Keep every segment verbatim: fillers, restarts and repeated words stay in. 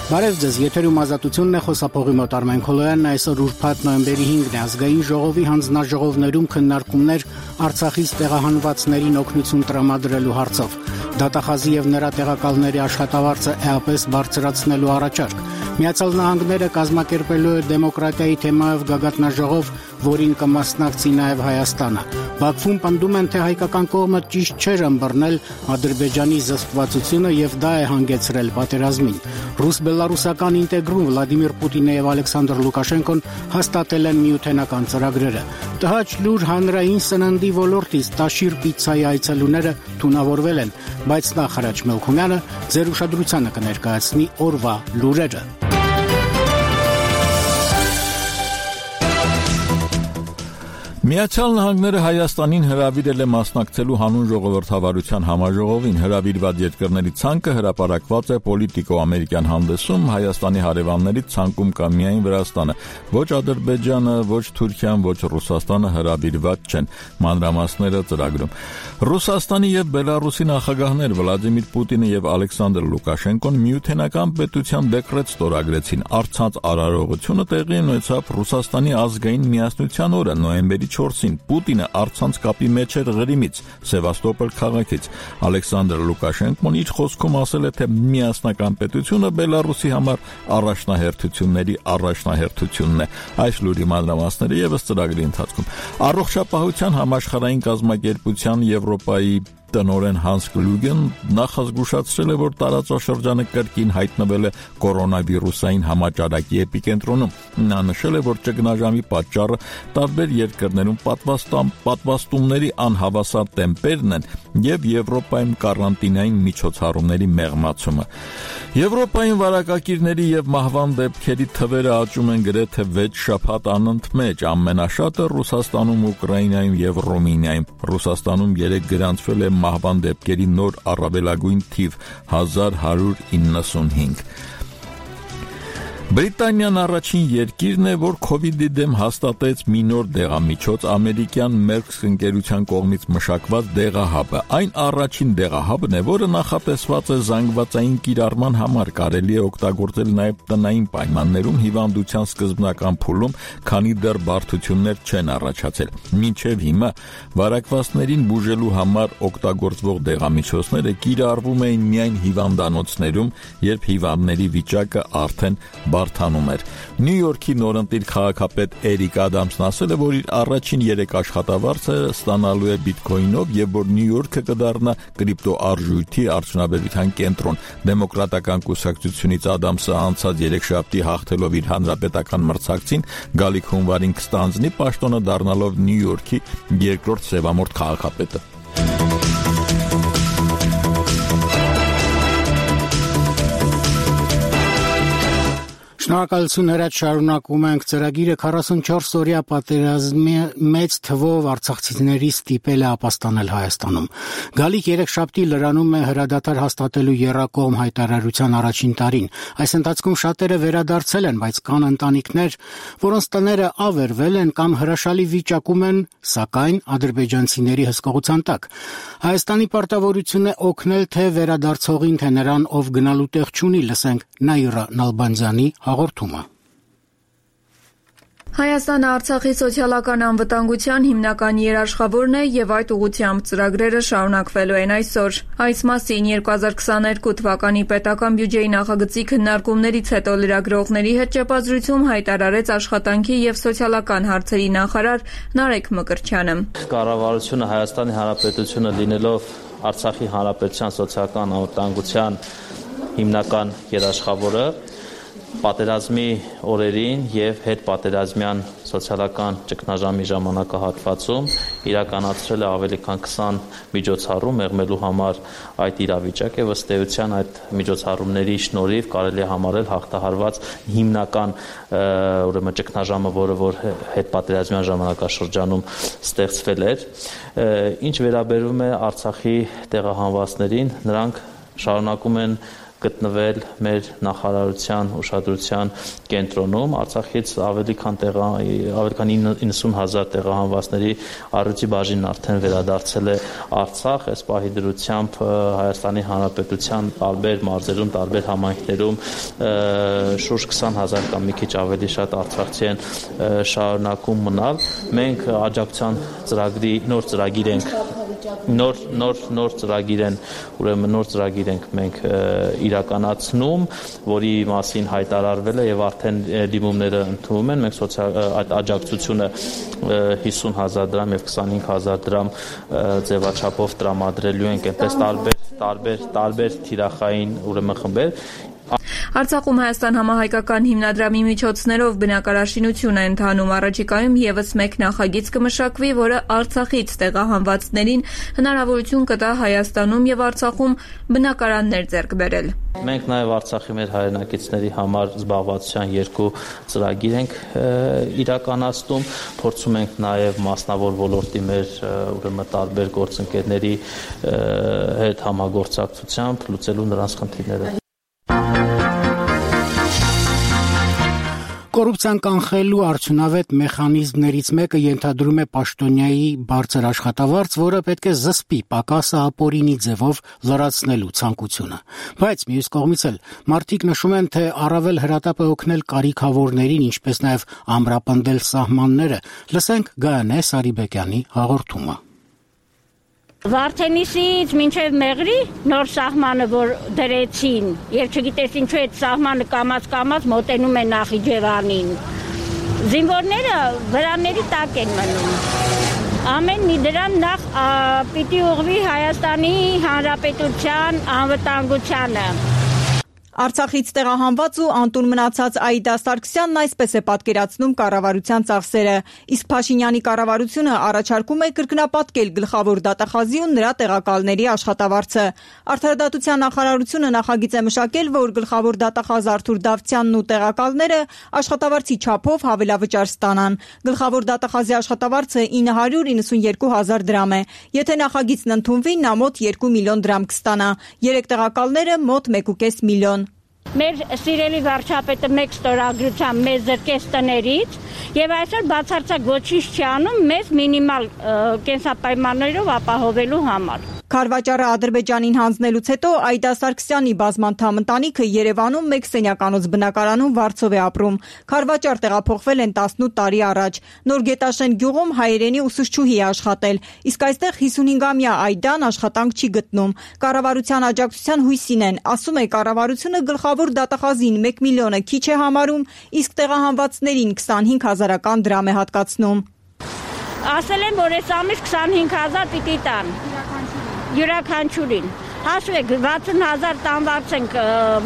Բարև ձեզ, եթերում ազատությունն է, խոսափողի մոտ Արմեն Քոլոյանն, այսօր ուրբաթ նոյեմբերի հինգն է, ազգային ժողովի հանձնաժողովներում քննարկումներ Արցախից տեղահանվածներին օգնություն տրամադրելու հարցով, դատախազի եւ նրա տեղակալների աշխատավարձը էապես բարձրացնելու առաջարկ, Միացյալ Նահանգները կազմակերպելու է դեմոկրատիայի թեմայով գագաթնաժողով, որին կմասնակցի նաեւ Հայաստանը, Բաքվում պնդում են, թե հայկական կողմը ճիշտ չէր ըմբռնել Ադրբեջանի զսպվածությունը եւ դա է հանգեցրել պատերազմին, Ռուս-բելարուսական ինտեգրում Վլադիմիր Պուտինը եւ Ալեքսանդր Լուկաշենկոն հաստատել են միութենական ծրագրերը, տհաճ լուր հանրային սննդի ոլորտից Տաշիր պիցցայի այցելուները թունավորվել են, բայց նախ Հրաչ Մելքումյանը ձեր ուշադրությանը կներկայացնի օրվա լուրերը։ Միացյալ Նահանգները Հայաստանին հրավիրել է մասնակցելու հանուն ժողովրդավարության համաժողովին, հրավիրված երկրների ցանկը հրապարակված է Պոլիտիկո-ամերիկյան հանդեսում, Հայաստանի հարևաններից ցանկում կա միայն Վրաստանը, ոչ Ադրբեջանը, ոչ Թուրքիան, ոչ Ռուսաստանը հրավիրված չեն, մանրամասները ծրագրում։ Ռուսաստանի եւ Բելարուսի նախագահներ Վլադիմիր Պուտինը եւ Ալեքսանդր Լուկաշենկոն միութենական պետության դեկրետ ստորագրեցին, առցած արարողությունը տեղի ունեցավ Ռուսաստանի ազգային միասնության օրը նոյեմբերի չորսին, Պուտինը առցանց կապի մեջ էր Ղրիմից, Սևաստոպոլ քաղաքից, Ալեքսանդր Լուկաշենկոն իր խոսքում ասել է, թե միասնական պետությունը Բելարուսի համար առաջնահերթությունների առաջնահերթությունն է, այս լուրի մանրամասները եւս ծրագրի ընթացքում, առողջապահության համաշխարհային կազմակերպության Եվրոպայի տնօրեն Հանս Կլուգեն նախազգուշացրել է, որ տարածաշրջանը կրկին հայտնվել է կորոնավիրուսային համաճարակի էպիկենտրոնում։ Նա նշել է, որ ճգնաժամի պատճառը տարբեր երկրներում պատվաստումների անհավասար տեմպերն են եւ Եվրոպայում կարանտինային միջոցառումների մեղմացումը։ Եվրոպայում վարակակիրների եւ մահվան դեպքերի թվերը աճում են գրեթե վեց շաբաթ անընդմեջ, ամենաշատը Ռուսաստանում, Ուկրաինայում եւ Ռումինիայում։ Ռուսաստանում երեք գրանցվել է մահվան դեպքերի նոր առավելագույն թիվ հազար հարյուր իննսունհինգ։ Բրիտանիան առաջին երկիրն է, որ քովիդի դեմ հաստատեց մի նոր դեղամիջոց ամերիկյան Merck ընկերության կողմից մշակված դեղահաբը։ Այն առաջին դեղահաբն է, որը նախատեսված է զանգվածային կիրառման համար, կարելի է օգտագործել նաև տնային պայմաններում հիվանդության սկզբնական փուլում, քանի դեռ բարդություններ չեն առաջացել։ Մինչև հիմա վարակվածներին բուժելու համար օգտագործվող դեղամիջոցները կիրառվում էին միայն հիվանդանոցներում, երբ հիվանդների վիճակը արդեն բարդանում էր։ Նյու Յորքի նորընտիր քաղաքապետ Էրիկ Ադամսն ասել է, որ իր առաջին երեք աշխատավարձը ստանալու է բիթքոյնով եւ որ Նյու Յորքը կդառնա կրիպտոարժույթի արդյունաբերության կենտրոն։ Դեմոկրատական կուսակցությունից Ադամսը անցած երեքշաբթի հաղթելով իր հանրապետական մրցակցին գալիք հունվարին կստանձնի պաշտոնը դառնալով Նյու Յորքի երկրորդ սևամորթ քաղաքապետը։ Շնորհակալություն Հրաչ, շարունակում ենք ծրագիրը քառասունչորս օրյա պատերազմի մեծ թվով արցախցիների ստիպել է ապաստանել Հայաստանում։ Գալիք երեքշաբթի լրանում է հրադադար հաստատելու եռակողմ հայտարարության առաջին տարին։ Այս ընթացքում շատերը վերադարձել են, բայց կան ընտանիքներ, որոնց տները ավերվել են կամ հրաշալի վիճակում են, սակայն ադրբեջանցիների հսկողության տակ։ Հայաստանի պարտավորությունն է օգնել թե վերադարձողին, թե նրան, ով գնալու տեղ չունի, լսենք Նաիրա Նալբանդյանի հաղորդումը։ Հայաստանը Արցախի սոցիալական անվտանգության հիմնական երաշխավորն է եւ այդ ուղղությամբ ծրագրերը շարունակվելու են այսօր։ Այս մասին երկու հազար քսաներկու թվականի պետական բյուջեի նախագծի քննարկումներից հետո լրագրողների հետ ճեպազրույցում հայտարարեց աշխատանքի եւ սոցիալական հարցերի նախարար Նարեկ Մկրտչյանը։ Կառավարությունը Հայաստանի Հանրապետությունը լինելով Արցախի Հանրապետության սոցիալական անվտանգության հիմնական երաշխավորը պատերազմի օրերին եւ հետպատերազմյան սոցիալական ճգնաժամի ժամանակահատվածում իրականացրել է ավելի քան քսան միջոցառում մեղմելու համար այդ իրավիճակը եւ ըստ էության այդ միջոցառումների շնորհիվ կարելի է համարել հաղթահարված հիմնական ուրեմն ճգնաժամը, որը որ հետպատերազմյան ժամանակաշրջանում ստեղծվել էր։ Ինչ վերաբերում է Արցախի տեղահանվածներին, նրանք շարունակում են գտնվել մեր նախարարության ուշադրության կենտրոնում։ Արցախից ավելի քան տեղա ավելի քան իննսուն հազար տեղահանվածների առյուծի բաժինն արդեն վերադարձել է Արցախ, այս պահի դրությամբ Հայաստանի Հանրապետության տարբեր մարզերում, տարբեր համայնքներում շուրջ քսան հազար կամ մի քիչ ավելի շատ արցախցի են շարունակում մնալ։ Մենք աջակցության ծրագրի նոր ծրագիր ենք նոր նոր նոր ծրագիր են, ուրեմն նոր ծրագիր ենք մենք իրականացնում, որի մասին հայտարարվել է եւ արդեն դիմումները ընդունվում են։ Մենք սոցիալ այդ աջակցությունը հիսուն հազար դրամ եւ քսանհինգ հազար դրամ ձևաչափով տրամադրելու ենք այնպես տարբեր տարբեր տարբեր թիրախային ուրեմն խմբեր։ Արցախում Հայաստան համահայկական հիմնադրամի միջոցներով բնակարարշինություն է ընթանում։ Առաջիկայում եւս մեկ նախագիծ կմշակվի, որը Արցախից տեղահանվածներին հնարավորություն կտա Հայաստանում եւ Արցախում բնակարաններ ձեռք բերել։ Մենք նաեւ Արցախի մեր հայրենակիցների համար զբաղվածության երկու ծրագիր ենք իրականացնում, փորձում ենք նաեւ մասնավոր ոլորտի մեր ուրեմն տարբեր գործընկերների հետ համագործակցությամբ լուծելու նրանց խնդիրները։ Կոռուպցիան կանխելու արդյունավետ մեխանիզմներից մեկը ենթադրում է պաշտոնյայի բարձր աշխատավարձ, որը պետք է զսպի պակասը ապօրինի ձևով լրացնելու ցանկությունը։ Բայց մյուս կողմից էլ մարդիկ նշում են, թե առավել հրատապ է օգնել կարիքավորներին, ինչպես նաև ամրապնդել սահմանները։ Լսենք Գայանե Սարիբեկյանի հաղորդումը։ Վարդենիսից մինչև Մեղրի նոր սահմանը, որ դրեցին, եւ չգիտես ինչու այդ սահմանը կամած-կամած մոտենում է Նախիջևանին։ Զինվորները վրանների տակ են մնում։ Ամեն մի դրամ նախ պիտի ուղղվի Հայաստանի Հանրապետության անվտանգությանը։ Արցախից տեղահանված ու անտուն մնացած Աիդա Սարգսյանն այսպես է պատկերացնում կառավարության ծախսերը, իսկ Փաշինյանի կառավարությունը առաջարկում է կրկնապատկել գլխավոր դատախազի ու նրա տեղակալների աշխատավարձը։ Արդարադատության նախարարությունը նախագիծ է մշակել, որ գլխավոր դատախազ Արթուր Դավթյանն ու տեղակալները աշխատավարձի չափով հավելավճար ստանան։ Գլխավոր դատախազի աշխատավարձը ինը հարյուր իննսունյերկու հազար դրամ է։ Եթե նախագիծն ընդունվի, նա մոտ երկու միլիոն դրամ կստանա։ Երեք տեղակալները մոտ մեկ ու կես միլիոն։ Մեր սիրելի վարչապետը մեկ ստորագրությամբ մեզ զրկեց տներից եւ այսօր բացարձակ ոչինչ չի անում մեզ մինիմալ կենսապայմաններով ապահովելու համար։ Քարվաճառը Ադրբեջանին հանձնելուց հետո Աիդա Սարգսյանի բազմանդամ ընտանիքը Երևանում մեկ սենյականոց բնակարանում վարձով է ապրում։ Քարվաճառ տեղափոխվել են տասնութ տարի առաջ։ Նոր Գետաշեն գյուղում հայերենի ուսուցչուհի է աշխատել, իսկ այստեղ հիսունհինգամյա Աիդան աշխատանք չի գտնում։ Կառավարության աջակցության հույսին են, ասում է կառավարությունը գլխավոր դատախազին մեկ միլիոնը քիչ է համարում, իսկ տեղահանվածներին քսանհինգ հազարական դրամ է հատկացնում։ Ասել են, որ այս ամիս քսանհինգ հազար պիտի տան։ Յուրաքանչյուրին։ Հաշվեք, վաթսուն հազար տանվարձ ենք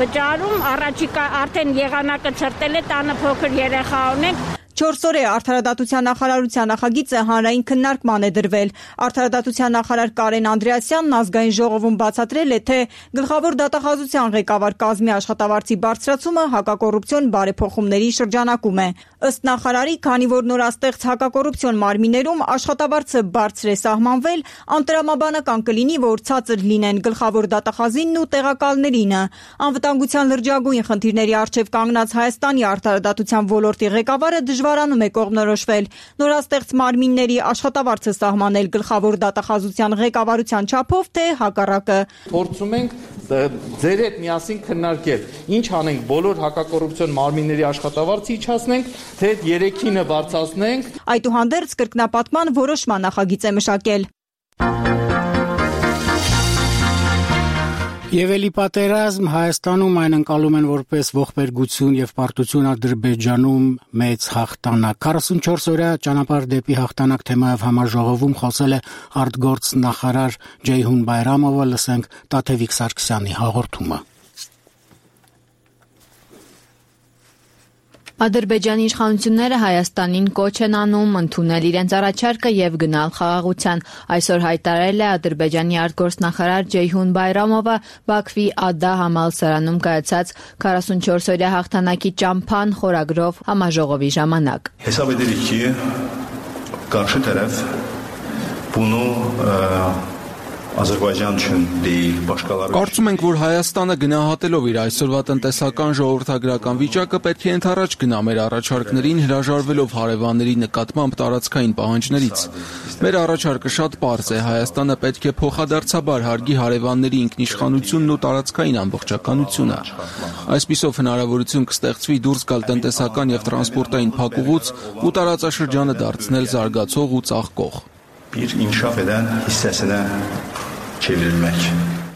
վճարում, առաջիկա արդեն եղանակը ցրտել է, տանը փոքր երեխա ունենք։ Չորս օր է Արդարադատության նախարարության նախագիծը հանրային քննարկման է դրվել։ Արդարադատության նախարար Կարեն Անդրեասյանն ազգային ժողովում բացատրել է, թե գլխավոր դատախազության ղեկավար կազմի աշխատավարձի բարձրացումը հակակոռուպցիոն բարեփոխումների շրջանակում է։ Ըստ նախարարի, քանի որ նորաստեղծ հակակոռուպցիոն մարմիններում աշխատավարձը բարձր է սահմանվել, անտրամաբանական կլինի, որ ցածր լինեն գլխավոր դատախազինն ու տեղակալներինը։ Անվտանգության լրջագույն խնդիրների առջև կանգնած Հայաստանի արդարադատության ոլորտի ղեկավարը դժվարանում է կողմնորոշվել նորաստեղծ մարմինների աշխատավարձը սահմանել գլխավոր դատախազության ղեկավարության չափով, թե հակառակը։ Փորձում ենք ձեր հետ միասին քննարկել, ինչ անենք, բոլոր հակակոռուպցիոն մարմինների աշխատավարձը իջացնենք, թե երեքինը բարձրացնենք։ Այդուհանդերձ կրկնապատկման որոշման նախագիծ է մշակել։ Եվ էլի պատերազմ Հայաստանում այն ընկալում են որպես ողբերգություն եւ պարտություն Ադրբեջանում մեծ հաղթանակ։ քառասունչորս օրյա ճանապարհ դեպի հաղթանակ թեմայով համաժողովում խոսել է արտգործնախարար Ջեյհուն Բայրամովը, լսենք Տաթևիկ Սարգսյանի հաղորդումը։ Ադրբեջանի իշխանությունները Հայաստանին կոչ են անում ընդունել իրենց առաջարկը եւ գնալ խաղաղության։ Այսօր հայտարարել է Ադրբեջանի արտգործնախարար Ջեյհուն Բայրամովը Բաքվի Ադա համալսարանում կայացած քառասունչորս օրյա հաղթանակի ճամփան խորագրով համաժողովի ժամանակ։ Հեսաբ edirik ki, qarşı tərəf bunu Կարծում ենք, որ Հայաստանը գնահատելով իր այսօրվա տնտեսական ժողովրդագրական վիճակը պետք է ընդառաջ գնա մեր առաջարկներին, հրաժարվելով հարևանների նկատմամբ տարածքային պահանջներից։ Մեր առաջարկը շատ պարզ է. Հայաստանը պետք է փոխադարձաբար հարգի հարևանների ինքնիշխանությունն ու տարածքային ամբողջականությունը։ Այսպիսով հնարավորություն կստեղծվի դուրս գալ տնտեսական եւ տրանսպորտային փակուղուց ու տարածաշրջանը դարձնել զարգացող ու ծաղկող։ Bir inkişaf eden hissəsinə çevrilmək.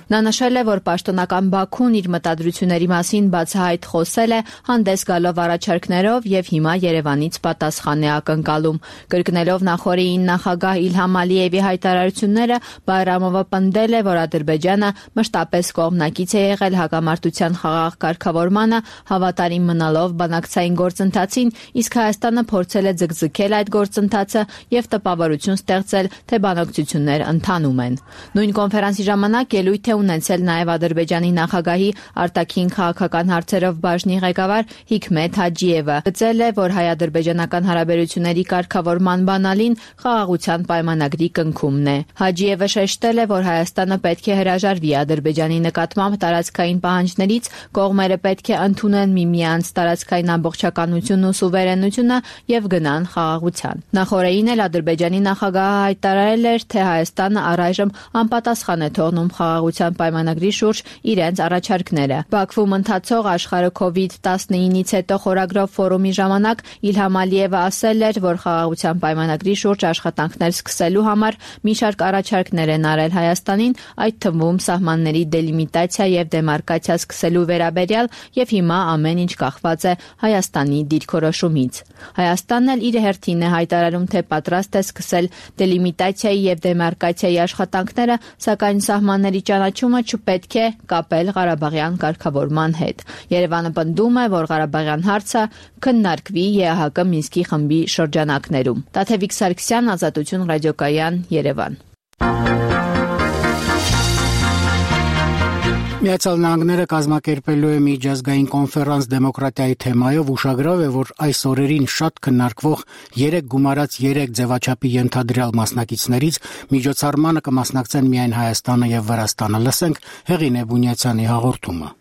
Նա նշել է, որ պաշտոնական Բաքուն իր մտադրությունների մասին բացահայտ խոսել է, հանդես գալով առաջարկներով եւ հիմա Երևանից պատասխան է ակնկալում։ Կրկնելով նախորդին նախագահ Իլհամ Ալիևի հայտարարությունները, Բայրամովը պնդել է, որ Ադրբեջանը մշտապես կողմնակից է եղել հակամարտության խաղաղ կարգավորմանը, հավատարիմ մնալով բանակցային գործընթացին, իսկ Հայաստանը փորձել է ձգձգել այդ գործընթացը եւ տպավորություն ստեղծել, թե բանակցություններ ընթանում են։ Նույն կոնֆերանսի ժամանակ ելույթ ունեցել նաև Ադրբեջանի նախագահի արտաքին քաղաքական հարցերով բաժնի ղեկավար Հիքմեթ Հաջիևը։ Գծել է, որ հայ-ադրբեջանական հարաբերությունների կարգավորման բանալին խաղաղության պայմանագրի կնքումն է։ Հաջիևը շեշտել է, որ Հայաստանը պետք է հրաժարվի Ադրբեջանի նկատմամբ տարածքային պահանջներից, կողմերը պետք է ընդունեն միմյանց տարածքային ամբողջականությունն ու սուվերենությունը եւ գնան խաղաղության։ Նախորդին էլ Ադրբեջանի նախագահը հայտարարել էր, թե Հայաստանը առայժմ անպատասխան է թողնում խաղաղության պայմանագրի շուրջ իրենց առաջարկները։ Բաքվում ընթացող աշխարհը կովիդ տասնինից հետո խորագրով ֆորումի ժամանակ Իլհամ Ալիևը ասել էր, որ խաղաղության պայմանագրի շուրջ աշխատանքներ սկսելու համար մի շարք առաջարկներ են արել Հայաստանին, այդ թվում սահմանների դելիմիտացիա եւ դեմարկացիա սկսելու վերաբերյալ, եւ հիմա ամեն ինչ կախված է Հայաստանի դիրքորոշումից։ Հայաստանն էլ իր հերթին է հայտարարում, թե պատրաստ է սկսել դելիմիտացիայի եւ դեմարկացիայի աշխատանքները, սակայն սահմանների ճանաչումը չպետք է կապել Ղարաբաղյան կարգավորման հետ։ Երևանը պնդում է, որ Ղարաբաղյան հարցը քննարկվի ԵԱՀԿ Մինսկի խմբի շրջանակներում։ Տաթևիկ Սարգսյան, Ազատություն ռադիոկայան, Երևան։ Միացյալ Նահանգները կազմակերպելու է միջազգային կոնֆերանս դեմոկրատիայի թեմայով, ուշագրավ է, որ այս օրերին շատ քննարկվող երեք գումարած երեք ձևաչափի ենթադրյալ մասնակիցներից միջոցառմանը կմասնակցեն միայն Հայաստանը եւ Վրաստանը։ Լսենք Հեղինե Բունյացյանի հաղորդումը։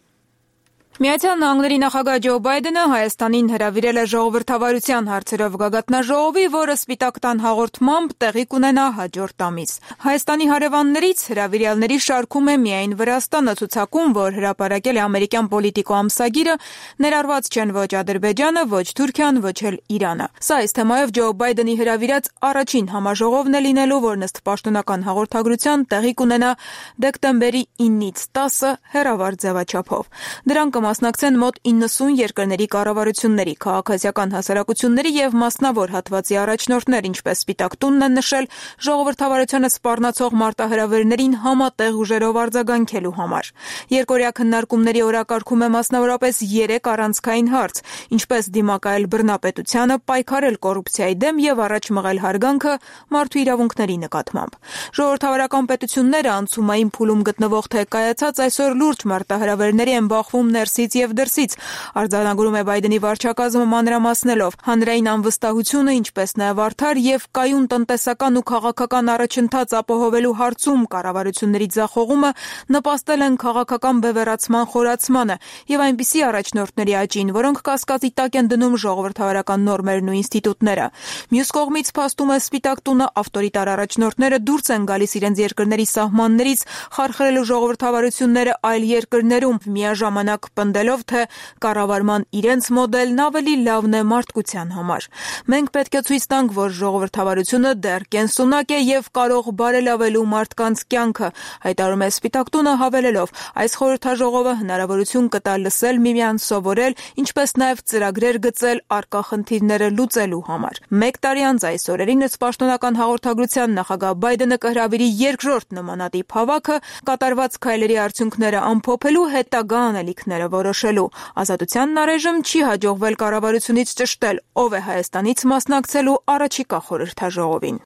Միացյալ Նահանգների նախագահ Ջո Բայդենը Հայաստանին հրավիրել է ժողովրդավարության հարցերով գագաթնաժողովի, որը Սպիտակ տան հաղորդմամբ տեղի կունենա հաջորդ ամիս։ Հայաստանի հարևաններից հրավիրյալների շարքում է միայն Վրաստանը, ցուցակում, որ հրապարակել է ամերիկյան Պոլիտիկո ամսագիրը, ներառված չեն ոչ Ադրբեջանը, ոչ Թուրքիան, ոչ էլ Իրանը։ Սա այս թեմայով Ջո Բայդենի հրավիրած առաջին համաժողովն է լինելու, որն ըստ պաշտոնական հաղորդագրության տեղի կունենա դեկտեմբերի իննից տասը հեռավար ձևաչափով։ Դրան մասնակցեն մոտ իննսուն երկրների կառավարությունների, քաղաքացիական հասարակությունների եւ մասնավոր հատվածի առաջնորդներ, ինչպես Սպիտակ տունն են նշել, ժողովրդավարությանը սպառնացող մարտահրավերներին համատեղ ուժերով արձագանքելու համար։ Երկօրյա քննարկումների օրակարգում է մասնավորապես երեք առանցքային հարց, ինչպես դիմակայել բռնապետությանը, պայքարել կոռուպցիայի դեմ եւ առաջ մղել հարգանքը մարդու իրավունքների նկատմամբ։ Ժողովրդավարական պետությունները անցումային փուլում գտնվող թե կայացած այսօր լուրջ մարտահրավերների են բախվում ներսից եւ դրսից, արձանագրում է Բայդենի վարչակազմը մանրամասնելով հանրային անվստահությունը, ինչպես նաեւ արդար եւ կայուն տնտեսական ու քաղաքական առաջընթաց ապահովելու հարցում կառավարությունների ձախողումը նպաստել են քաղաքական բևեռացման խորացմանը եւ այնպիսի առաջնորդների աճին, որոնք կասկածի տակ են դնում ժողովրդավարական նորմերն ու ինստիտուտները։ Մյուս կողմից փաստում է Սպիտակ տունը ավտորիտար առաջնորդները դուրս են գալիս իրենց երկրների սահմաններից, խարխրելու ժողովրդավարությունները այլ երկրներում, միաժամանակ պնդելով, թե կառավարման իրենց մոդելն ավելի լավն է մարդկության համար։ Մենք պետք է ցույց տանք, որ ժողովրդավարությունը դեռ կենսունակ է եւ կարող բարելավելու մարդկանց կյանքը, հայտարարում է Սպիտակ տունը, հավելելով. այս խորհրդաժողովը հնարավորություն կտա լսել միմյանց, սովորել, ինչպես նաեւ ծրագրեր գծել առկա խնդիրները լուծելու համար։ Մեկ տարի անց այս օրերին ըստ պաշտոնական հաղորդագրության նախագահ Բայդենը կհրավիրի երկրորդ նմանատիպ հավաքը, կատարված քայլերի արդյունքները ամփոփելու, հետագա անելիքները որոշելու։ Ազատությանն առայժմ չի հաջողվել կառավարությունից ճշտել, ով է Հայաստանից մասնակցելու առաջիկա խորհրդաժողովին։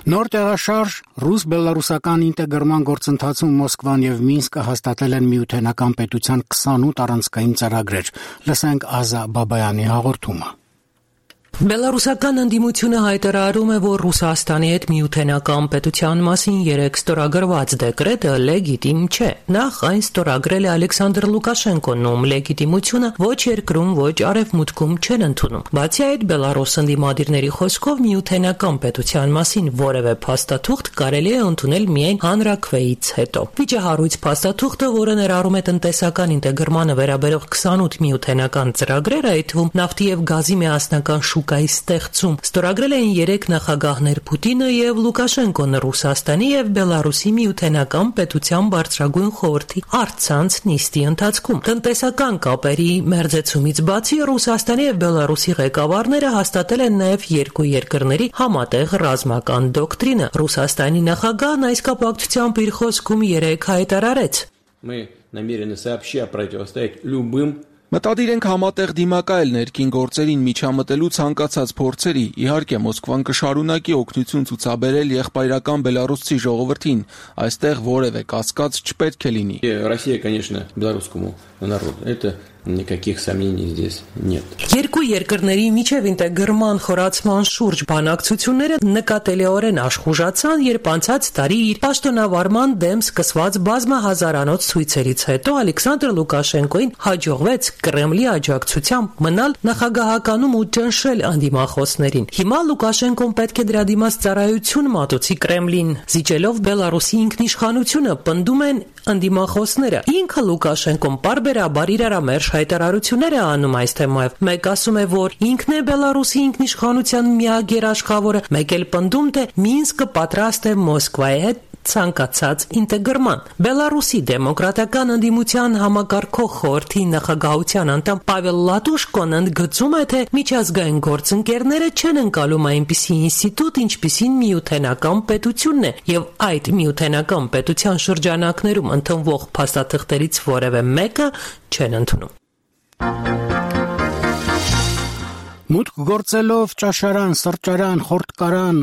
Նոր տեղաշարժ ռուս-բելարուսական ինտեգրման գործընթացում Մոսկվան եւ Մինսկը հաստատել են միութենական պետության քսանութ առանցքային ծրագրեր։ Լսենք Ազա Բաբայանի հաղորդումը։ Բելարուսական ընդդիմությունը հայտարարում է, որ Ռուսաստանի հետ միութենական պետության մասին երեք ստորագրված դեկրետը լեգիտիմ չէ։ Նախ այն ստորագրել է Ալեքսանդր Լուկաշենկոն, ում լեգիտիմությունը ոչ երկրում, ոչ արևմուտքում չեն ընդունում։ Բացի այդ, Բելարուս ընդդիմադիրների խոսքով միութենական պետության մասին որևէ փաստաթուղթ կարելի է ընդունել միայն հանրաքվեից հետո։ Վիճահարույց փաստաթուղթը, որը ներառում է տնտեսական ինտեգրմանը վերաբերող քսանութ միութենական ծրագրեր, այդ թվում նավթի եւ գազի միասնական շուկայի ստեղծում, ստորագրել էին երեք նախագահներ՝ Պուտինը եւ Լուկաշենկոն, Ռուսաստանի եւ Բելարուսի միութենական պետության բարձրագույն խորհրդի առցանց նիստի ընթացքում։ Տնտեսական կապերի մերձեցումից բացի Ռուսաստանի եւ Բելարուսի ղեկավարները հաստատել են նաեւ երկու երկրների համատեղ ռազմական դոկտրինը։ Ռուսաստանի նախագահն այս կապակցությամբ իր խոսքում երեկ հայտարարեց. Мы намерены сообща противостоять любым Մտադիր ենք համատեղ դիմակայել ներքին գործերին միջամտելու ցանկացած փորձերի, իհարկե Մոսկվան կշարունակի օգնություն ցուցաբերել եղբայրական բելարուսցի ժողովրդին, այստեղ որևէ կասկած չպետք է լինի։ Россия, конечно, белорусскому народу. Это никаких сомнений здесь нет. Երկու երկրների միջև ինտեգրման խորացման շուրջ բանակցությունները նկատելիորեն աշխուժացան, երբ անցած տարի իր պաշտոնավարման դեմ սկսված բազմահազարանոց ցույցերից հետո Ալեքսանդր Լուկաշենկոին հաջողվեց Կրեմլի աջակցությամբ մնալ նախագահականում ու ճնշել անդիմախոսներին։ Հիմա Լուկաշենկոն պետք է դրա դիմաց ծառայություն մատուցի Կրեմլին, զիջելով Բելարուսի ինքնիշխանությունը, պնդում են անդիմախոսները։ Ինքը Լուկաշենկոն պարբերաբար իրարամերժ հայտարարություններ է անում այս թեմայով։ Մեկ ասում է, որ ինքն է Բելարուսի ինքնիշխանության միակ երաշխավորը, մեկ էլ պնդում, թե Մինսկը պատրաստ է Մոսկվայի հետ ցանկացած ինտեգրման։ Բելարուսի դեմոկրատական ընդդիմության համակարգող խորհրդի նախագահության անդամ Պավել Լատուշկոն ընդգծում է, թե միջազգային գործընկերները չեն ընկալում այնպիսի ինստիտուտ, ինչպիսին միութենական պետությունն է, եւ այդ միութենական պետության շրջանակներում ընդունվող փաստաթղթերից որևէ մեկը չեն ընդունում։ Մուտք գործելով ճաշարան, սրճարան, խորտկարան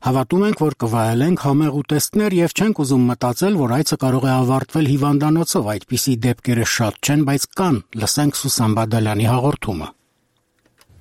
Հավատում ենք, որ կվայելենք համեղ ուտեստներ եւ չենք ուզում մտածել, որ այցը կարող է ավարտվել հիվանդանոցով, այդպիսի դեպքերը շատ չեն, բայց կան, լսենք Սուսան Բադալյանի հաղորդումը։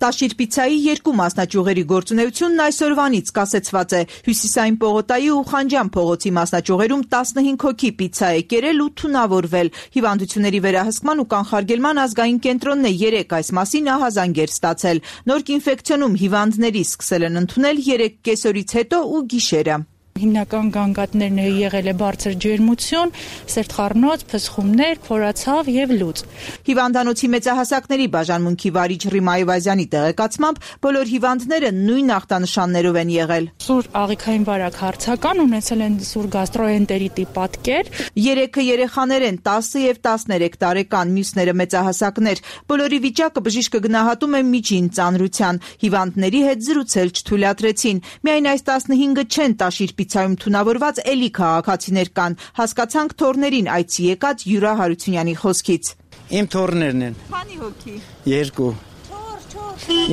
Տաշիր պիցայի երկու մասնաճյուղերի գործունեությունն այսօրվանից կասեցված է։ Հյուսիսային Պողոտայի ու Խանջան փողոցի մասնաճյուղերում տասնհինգ հոգի պիցա է կերել ու թունավորվել։ Հիվանդությունների վերահսկման ու կանխարգելման ազգային կենտրոնն է երեկ այս մասին ահազանգեր ստացել։ Նորք ինֆեկցիոնում հիվանդների սկսել են ընդունել երեք կեսօրից հետո ու գիշերը։ Հիմնական գանգատներն է եղել է բարձր ջերմություն, սերտխառնոց, փսխումներ, փորացավ եւ լուծ։ Հիվանդանոցի մեծահասակների բաժանմունքի վարիչ Ռիմա Այվազյանի տեղեկացմամբ բոլոր հիվանդները նույն ախտանշաններով են եղել։ Սուր աղիքային վարակ հարցական, ունեցել են սուր գաստրոենտերիտի պատկեր։ Երեքը երեխաներ են, տասը եւ տասներեք տարեկան, մյուսները մեծահասակներ։ Բոլորի վիճակը բժիշկը գնահատում է միջին ծանրության։ Հիվանդների հետ զրուցել չթույլատրեցին։ Միայն այս տասնհինգը չեն Տաշիր պիցայում թունավորված էլի քաղաքացիներ կան, հասկացանք թորներին այցի եկած Յուրա Հարությունյանի խոսքից։ Իմ թորներն են։ Քանի հոգի։ Երկու։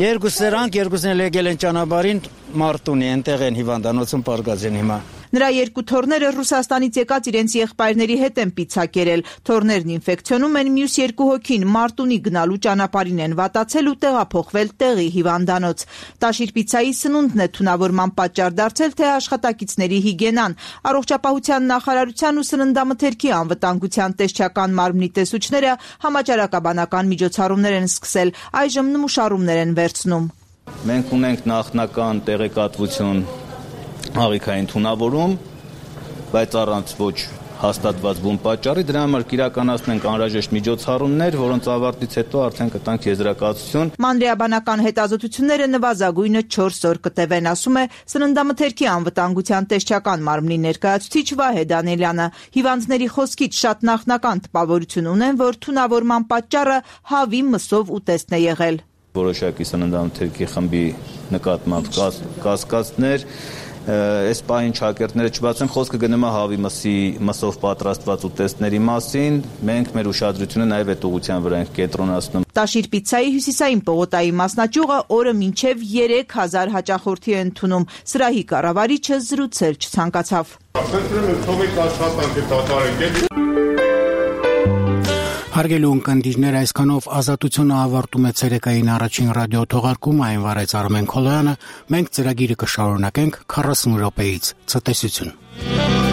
Երկու սրանք, երկուսն էլ եկել են ճանապարհին Մարտունի, այնտեղ են հիվանդանոցում պարկած են հիմա։ Նրա երկու թորները Ռուսաստանից եկած իրենց եղբայրների հետ են պիցա կերել։ Թորներն ինֆեկցիոնում են, մյուս երկու հոգին Մարտունի գնալու ճանապարհին են վատացել ու տեղափոխվել տեղի հիվանդանոց։ Տաշիր պիցայի սնունդն է թունավորման պատճառ դարձել, թե աշխատակիցների հիգիենան։ Առողջապահության նախարարության ու սննդամթերքի անվտանգության տեսչական մարմնի տեսուչները համաճարակաբանական միջոցառումներ են սկսել, այժմ նմուշառումներ են վերցնում։ Մենք ունենք նախնական տեղեկատվություն աղիքային թունավորում, բայց առանց ոչ հաստատված բուն պատճառի, դրա համար կիրականացնենք անհրաժեշտ միջոցառումներ, որոնց ավարտից հետո արդեն կտանք եզրակացություն։ Մանրէաբանական հետազոտությունները նվազագույնը չորս օր կտևեն, ասում է սննդամթերքի անվտանգության տեսչական մարմնի ներկայացուցիչ Վահե Դանիելյանը։ Հիվանդների խոսքից շատ նախնական տպավորություն ունեն, որ թունավորման պատճառը հավի մսով ուտեստն է եղել։ Որոշակի սննդամթերքի խմբի նկատմամբ կասկածներ, այս պահին շակերտները չբացեն, խոսքը գնում է հավի մսի մսով պատրաստված ուտեստների մասին, մենք մեր ուշադրությունը նաև այդ ուղղության վրա ենք կենտրոնացնում։ Տաշիր պիցայի Հյուսիսային Պողոտայի մասնաճյուղը օրը մինչև երեք հազար հաճախորդի է ընդունում։ Սրահի կառավարիչը զրուցել չցանկացավ։ Հարգելի ունկնդիրներ, այսքանով Ազատությունը ավարտում է ցերեկային առաջին ռադիո թողարկումը, այն վարեց Արմեն Քոլոյանը, մենք ծրագիրը կշարունակենք քառասուն րոպեից ցտեսություն։